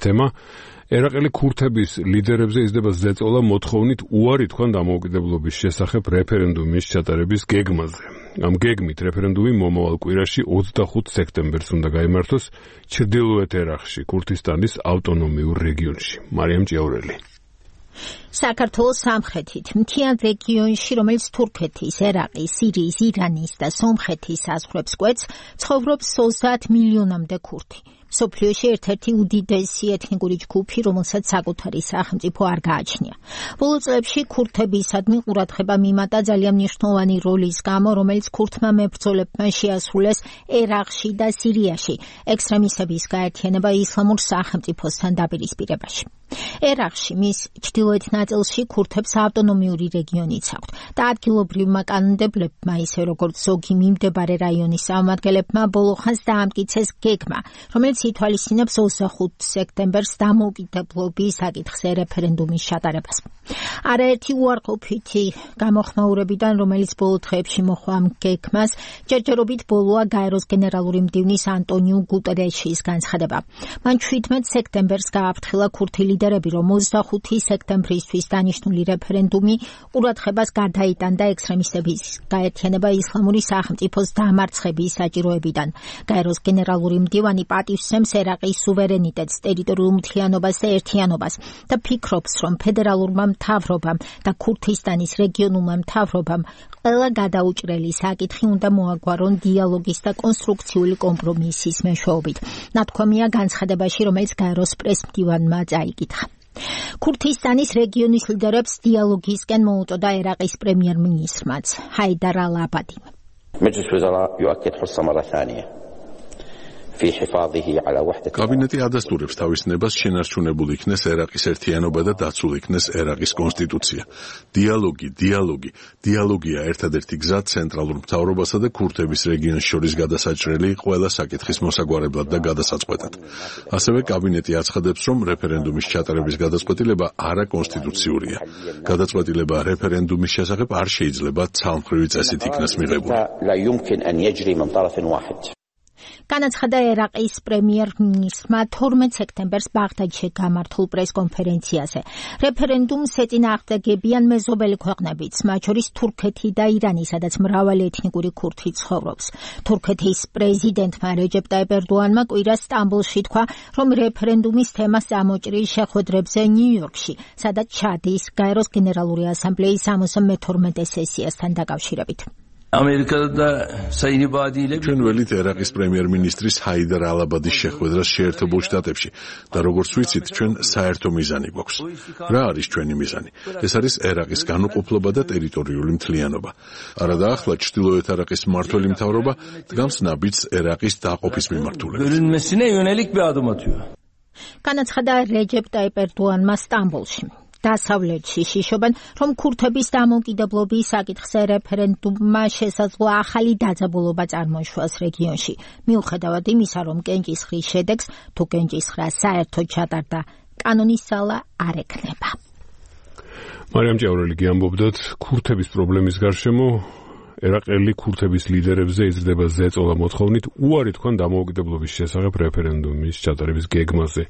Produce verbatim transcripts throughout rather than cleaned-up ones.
თემა. ერაყელი ქურთების ლიდერებზე იზრდება ზეწოლა მოთხოვნით უარი თქვან დამოუკიდებლობის შესახებ რეფერენდუმის ჩატარების გეგმაზე. Ამ გეგმით რეფერენდუმი მომავალ კვირაში ოცდახუთ სექტემბერს უნდა გაიმართოს ჩრდილოეთ ერაყში, ქურთისტანის ავტონომიურ რეგიონში. მარიამ ჭიაურელი. საქართველოს სამხრეთით მთიან რეგიონში, რომელიც თურქეთის, ერაყის, სირიის, ირანის და სომხეთის საზღვრებს კვეთს, ცხოვრობს ოცდაათ მილიონამდე ქურთი. მსოფლიოში ერთ-ერთი უდიდესი ეთნიკური ჯგუფი, რომელსაც საკუთარი სახელმწიფო არ გააჩნია. ბოლო წლებში ქურთებისადმი ყურადღება მიმატა ძალიან მნიშვნელოვანი როლის გამო, რომელიც ქურთმა მებრძოლებმა შეასრულეს ერაყში და სირიაში, ექსტრემისტების გაერთიანება ისლამურ სახელმწიფოსთან დაპირისპირებაში. ერაყში მის ჩრდილოეთ ნაწილში ქურთებს ავტონომიური რეგიონიც აქვთ და ადგილობრივმა კანონმდებლებმა, ისე როგორც ზოგი მიმდებარე რაიონის წარმომადგენლებმა ბოლო ხანს დაამტკიცეს გეგმა, რომელიც ითვალისწინებს ოცდახუთ სექტემბერს დამოუკიდებლობის საკითხზე რეფერენდუმის ჩატარებას. არაერთი უარყოფითი გამოხმაურებიდან, რომელიც ბოლო დღეებში მოჰყვა ამ გეგმას, ჯერჯერობით ბოლოა გაეროს გენერალური მდივნის ანტონიუ გუტერეშის განცხადება. მან შვიდმეტ სექტემბერს გააფრთხილა ქურთი ლიდერები, რომ ოცდახუთი სექტემბრისთვის დანიშნული რეფერენდუმი ყურადღებას გადაიტანდა ექსტრემისტების გაერთიანება ისლამური სახელმწიფოს დამარცხების საჭიროებიდან. გაეროს გენერალური მდივანი პატივსცემს ერაყის სუვერენიტეტს, ტერიტორიულ მთლიანობას და ერთიანობას და ფიქრობს, რომ ფედერალურმა მთავრობამ და ქურთისტანის რეგიონულმა მთავრობამ ყველა გადაუჭრელი საკითხი უნდა მოაგვარონ დიალოგის და კონსტრუქციული კომპრომისის მეშვეობით. ნათქვამია განცხადებაში, რომელიც გაეროს პრესმდივანმა წაიკითხა. ქურთისტანის რეგიონის ლიდერებს დიალოგისკენ მოუწოდა ერაყის პრემიერ-მინისტრმაც ჰაიდარ ალ-აბადიმ. مجلس الوزراء يؤكد حرص مرة ثانية في حفاظه على وحدة. კაბინეტი ადასტურებს თავის ნებას შენარჩუნებული იქნეს ერაყის ერთიანობა და დაცულ იქნეს ერაყის კონსტიტუცია. დიალოგი, დიალოგი, დიალოგია ერთადერთი გზა ცენტრალურ მთავრობასა და ქურთების რეგიონს შორის გადასაჭრელი ყველა საკითხის მოსაგვარებლად და გადასაწყვეტად. ასევე კაბინეტი აცხადებს, რომ რეფერენდუმის ჩატარების გადაწყვეტილება არაკონსტიტუციურია. გადაწყვეტილება რეფერენდუმის შესახებ არ შეიძლება ცალმხრივი წესით იქნას მიღებული. لا يمكن أن يجري من طرف واحد. განაცხადა ერაყის პრემიერ-მინისტრმა თორმეტ სექტემბერს ბაღდადში გამართულ პრესკონფერენციაზე. რეფერენდუმს ეწინააღმდეგებიან მეზობელი ქვეყნებიც, მათ შორის თურქეთი და ირანი, სადაც მრავალი ეთნიკური ქურთი ცხოვრობს. თურქეთის პრეზიდენტმა რეჯეპ ტაიპ ერდოანმა კვირას სტამბოლში თქვა, რომ რეფერენდუმის თემას წამოჭრილ შეხვედრებზე ნიუ-იორკში, სადაც ჩადის გაეროს გენერალური ასამბლეის სამოცდამეთორმეტე სესიასთან დაკავშირებით. ამერიკა საინიბადი ჩვენ ველით ერაყის პრემიერ-მინისტრის ჰაიდარ ალ-აბადის შეხვედრას შეერთებულ შტატებში და როგორც ვიცით, ჩვენ საერთო მიზანი გვაქვს. რა არის ჩვენი მიზანი? ეს არის ერაყის განუყოფლობა და ტერიტორიული მთლიანობა. არადაახლა ჩრდილოეთ ერაყის მმართველი მთავრობა დგამს ნაბიჯს ერაყის დაყოფის მიმართულებით. განაცხადა რეჯეპ ტაიპ ერდოანმა სტამბოლში. დასავლეთში შიშობენ, რომ ქურთების დამოუკიდებლობის საკითხზე რეფერენდუმმა შესაძლოა ახალი დაძაბულობა წარმოიშვას რეგიონში. მიუხედავად იმისა, რომ კენჭისყრის შედეგს თუ კენჭისყრა საერთოდ ჩატარდა, კანონის ძალა არ ექნება. მარიამ ჭიაურელი ამბობდათ, ქურთების პრობლემის გარშემო ერაყელი ქურთების ლიდერებზე იზრდება ზეწოლა მოთხოვნით უარი თქვან დამოუკიდებლობის შესახებ რეფერენდუმის ჩატარების გეგმაზე.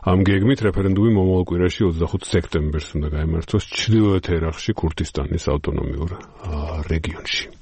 ამ გეგმით რეფერენდუმი მომავალ კვირაში ოცდახუთ სექტემბერს უნდა გაიმართოს ჩრდილოეთ ერაყში, ქურთისტანის ავტონომიურ რეგიონში.